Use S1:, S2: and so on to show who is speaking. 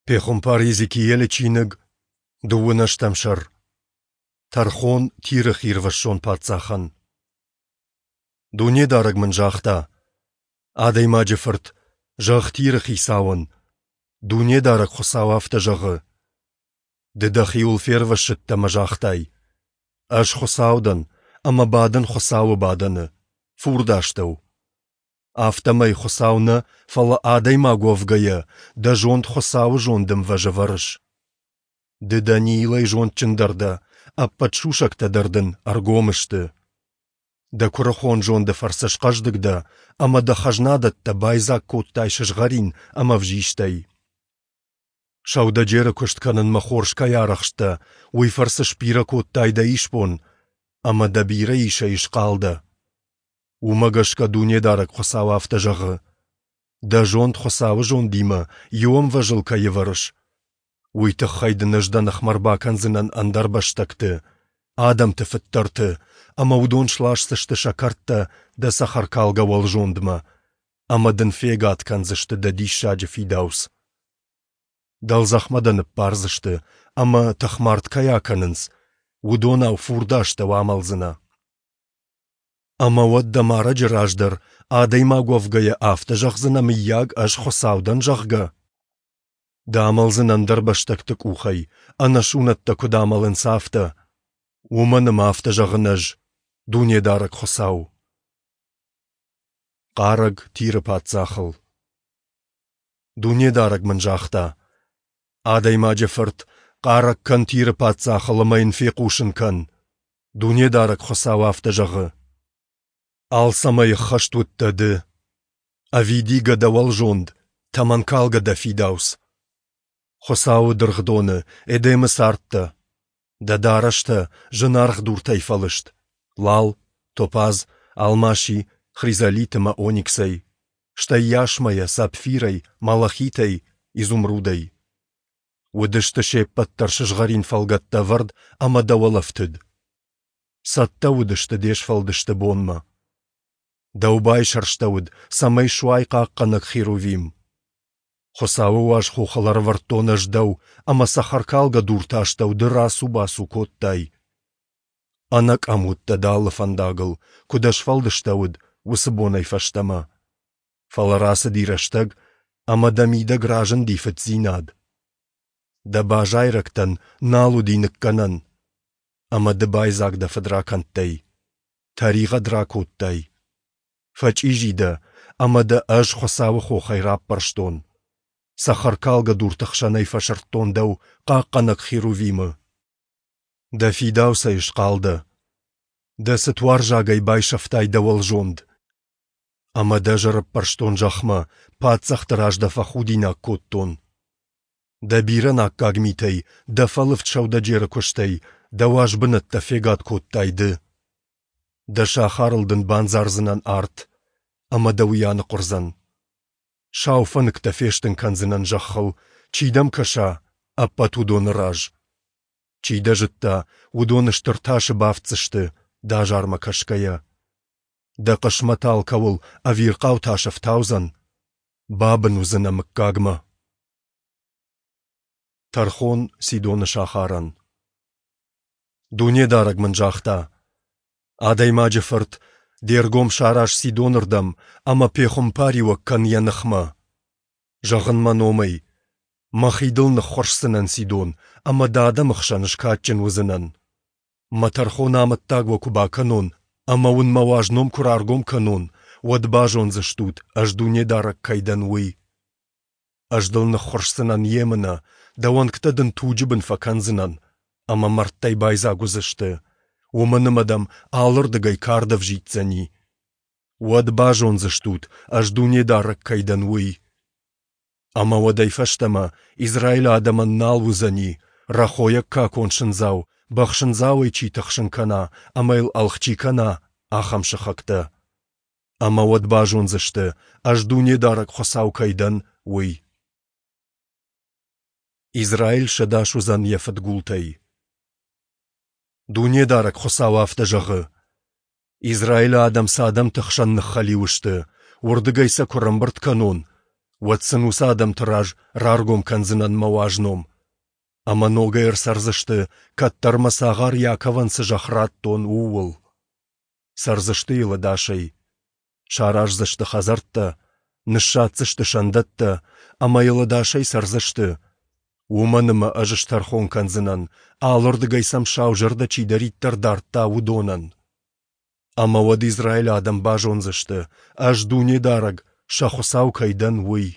S1: Пехуымпар Йезекиелы чиныг, дыууын ӕстӕм сӕр. Тӕрхон Тиры хирвӕссон паддзахӕн. Дунедарӕг мын загъта: Адӕймаджы фырт, зӕгъ Тиры хицауӕн, Дунедарӕг Хуыцау афтӕ зӕгъы: Ды дӕхиуыл фервӕссыдтӕ ӕмӕ загътай: Ӕз Хуыцау дӕн, ӕмӕ бадын Хуыцауы бадӕны, фурды астӕу. Афтӕмӕй, Хуыцау нӕ, фӕлӕ адӕймаг уӕвгӕйӕ, дӕ зонд Хуыцауы зонды ӕмвӕз ӕвӕрыс. Ды Даниилӕй зондджындӕр дӕ, ӕппӕт сусӕгтӕ дӕр дын ӕргом сты. Дӕ куырыхон зонды фӕрцы схъӕздыг дӕ ӕмӕ дӕ хӕзнадӕттӕ байдзаг кодтай сызгъӕрин ӕмӕ ӕвзистӕй. Сӕудӕджеры куыст кӕнынмӕ хорз кӕй арӕхсттӕ, уый фӕрцы сбирӕ кодтай дӕ исбон, ӕмӕ дӕ бирӕ исӕй схъал дӕ. Уымӕ гӕсгӕ Дунедарӕг Хуыцау афтӕ зӕгъы: Дӕ зонд Хуыцауы зондимӕ иу ӕмвӕзыл кӕй ӕвӕрыс, уый тыххӕй дын ӕз дӕ ныхмӕ ӕрбакӕндзынӕн ӕндӕрбӕстӕгты, адӕмты фыддӕрты, ӕмӕ уыдон сласдзысты сӕ кӕрдтӕ дӕ цӕхӕркалгӕ уӕлзондмӕ, ӕмӕ дын фегад кӕндзысты дӕ диссаджы фидауц. Дӕлдзӕхмӕ дӕ ныппардзысты, ӕмӕ, тыхмард кӕй акӕнынц, уыдонау фурды астӕу амӕлдзынӕ. Ӕмӕ уӕд дӕ марӕджы раз дӕр, адӕймаг уӕвгӕйӕ, афтӕ зӕгъдзынӕ, мыййаг, ӕз Хуыцау дӕн, зӕгъгӕ? Ды амӕлдзынӕ ӕндӕрбӕстӕгты къухӕй, ӕнӕсунӕттӕ куыд амӕлынц, афтӕ. Уымӕн ӕмӕ афтӕ зӕгъын Ӕз, Дунедарӕг Хуыцау. Хъарӕг Тиры паддзахыл. Дунедарӕг мын загъта: Адӕймаджы фырт, хъарӕг кӕн Тиры паддзахыл ӕмӕ йын фехъусын кӕн: Дунедарӕг Хуыцау афтӕ зӕгъы: Алцӕмӕй ӕххӕст уыдтӕ ды, ӕвидигӕ дӕ уӕлзонд, тӕмӕнкалгӕ дӕ фидауц. Хуыцауы дыргъдоны, Эдемы цардтӕ. Дӕ дарӕстӕ зынаргъ дуртӕй фӕлыст: лал, топаз, алмаси, хризолит ӕмӕ ониксӕй, стӕй ясмӕйӕ, сапфирӕй, малахитӕй, изумрудӕй. Уыдысты се ппӕт дӕр сызгъӕрин фӕлгӕттӕ ӕвӕрд ӕмӕ дӕ уӕлӕфтыд. Цӕттӕ уыдысты де сфӕлдысты бонмӕ. Дӕу байсӕрстӕуыд, цӕмӕй суай хъахъхъӕнӕг херувим. Хуыцауы уаз хохыл ӕрӕвӕрдтон ӕз дӕу, ӕмӕ цӕхӕркалгӕ дурты астӕу ды рацу-бацу кодтай. Ӕнӕкъӕм уыдтӕ дӕ алы фӕндагыл, куыд ӕсфӕлдыстӕуыд, уыцы бонӕй фӕстӕмӕ. Фӕлӕ рацыди рӕстӕг, ӕмӕ дӕ мидӕг разынди фыддзинад. Дӕ базайрӕгтӕн нал уыди ныккӕнӕн, ӕмӕ ды байдзаг дӕ фыдракӕндтӕй, тӕригъӕд ракодтай. Фӕчъизи дӕ, ӕмӕ дӕ ӕз Хуыцауы хохӕй раппӕрстон. Цӕхӕркалгӕ дурты хсӕнӕй фӕсырдтон дӕу, хъахъхъӕнӕг Херувимы. Дӕ фидауцӕй схъал дӕ. Дӕ цытуарзагӕй байсӕфтай дӕ уӕлзонд. Ӕмӕ дӕ ӕз ӕрӕппӕрстон зӕхмӕ, паддзӕхты раз дӕ фӕхудинаг кодтон. Дӕ бирӕ наккаг митӕй, дӕ фӕлывд сӕудӕджеры куыстӕй дӕ уаз бынӕттӕ фегад кодтай ды. Дӕ сахарыл дын бандзардзынӕн арт, ӕмӕ дӕ уый аныхъуырдзӕн. Сау фӕныктӕ фестын кӕндзынӕн зӕххыл, чи дӕм кӕса, ӕппӕт уыдоны раз. Чи дӕ зыдта, уыдон стыр тасы бафтдзысты, дӕ азармӕ кӕсгӕйӕ. Дӕ хъысмӕт алкӕуыл ӕвирхъау тас ӕфтаудзӕн, бабын уыдзынӕ мыггагмӕ. Тӕрхон Сидоны сахарӕн. Дунедарӕг мын загъта: Адӕймаджы фырт, де ргом сараз Сидонырдӕм ӕмӕ пехуымпариуӕг кӕн йӕ ныхмӕ. Зӕгъ ын мӕ номӕй: Мӕхи дыл ныххуырсдзынӕн, Сидон, ӕмӕ дӕ адӕмы хсӕн скадджын уыдзынӕн. Мӕ тӕрхон амӕттаг уӕ куы бакӕнон ӕмӕ уын мӕ уаз ном куы раргом кӕнон, уӕд базондзыстут, ӕз Дунедарӕг кӕй дӕн, уый. Ӕз дыл ныххуырсдзынӕн емынӕ, дӕ уӕнгтӕ дын туджы бын фӕкӕндзынӕн, ӕмӕ мӕрдтӕй байдзаг уыдзысты, уымӕн ӕмӕ дӕм алырдыгӕй кард ӕвзиддзӕни. Уӕд базондзыстут, ӕз Дунедарӕг кӕй дӕн, уый. Ӕмӕ уӕдӕй фӕстӕмӕ Израилы адӕмӕн нал уыдзӕни, рӕхойӕг какон сындзау, бӕхсындзауӕй чи тыхсын кӕна ӕмӕ йыл ӕлгъ чи кӕна, ахӕм сыхӕгтӕ. Ӕмӕ уӕд базондзысты, ӕз Дунедарӕг Хуыцау кӕй дӕн, уый. Израиль сӕдас уыдзӕн йӕ фыдгултӕй. Дунедарӕг Хуыцау афтӕ зӕгъы: Израилы адӕм цы адӕмты хсӕн ныххӕлиу сты, уырдыгӕй сӕ куы рӕмбырд кӕнон, Уӕд сын уыцы адӕмты раз раргом кӕндзынӕн мӕ уаз ном. Ӕмӕ ногӕй ӕрцӕрдзысты, кӕддӕр мӕ цагъар Иаковӕн цы зӕхх радтон, ууыл. Цӕрдзысты йыл ӕдасӕй. Сараздзысты хӕдзӕрттӕ, ныссадздзысты сӕндӕттӕ, ӕмӕ йыл ӕдасӕй цӕрдзысты. Уымӕн ӕмӕ ӕз стӕрхон кӕндзынӕн, алырдыгӕй сӕм сау зӕрдӕ чидӕриддӕр дардта, уыдонӕн. Ӕмӕ уӕд Израилы адӕм базондзысты, ӕз Дунедарӕг, сӕ Хуыцау кӕй дӕн, уый.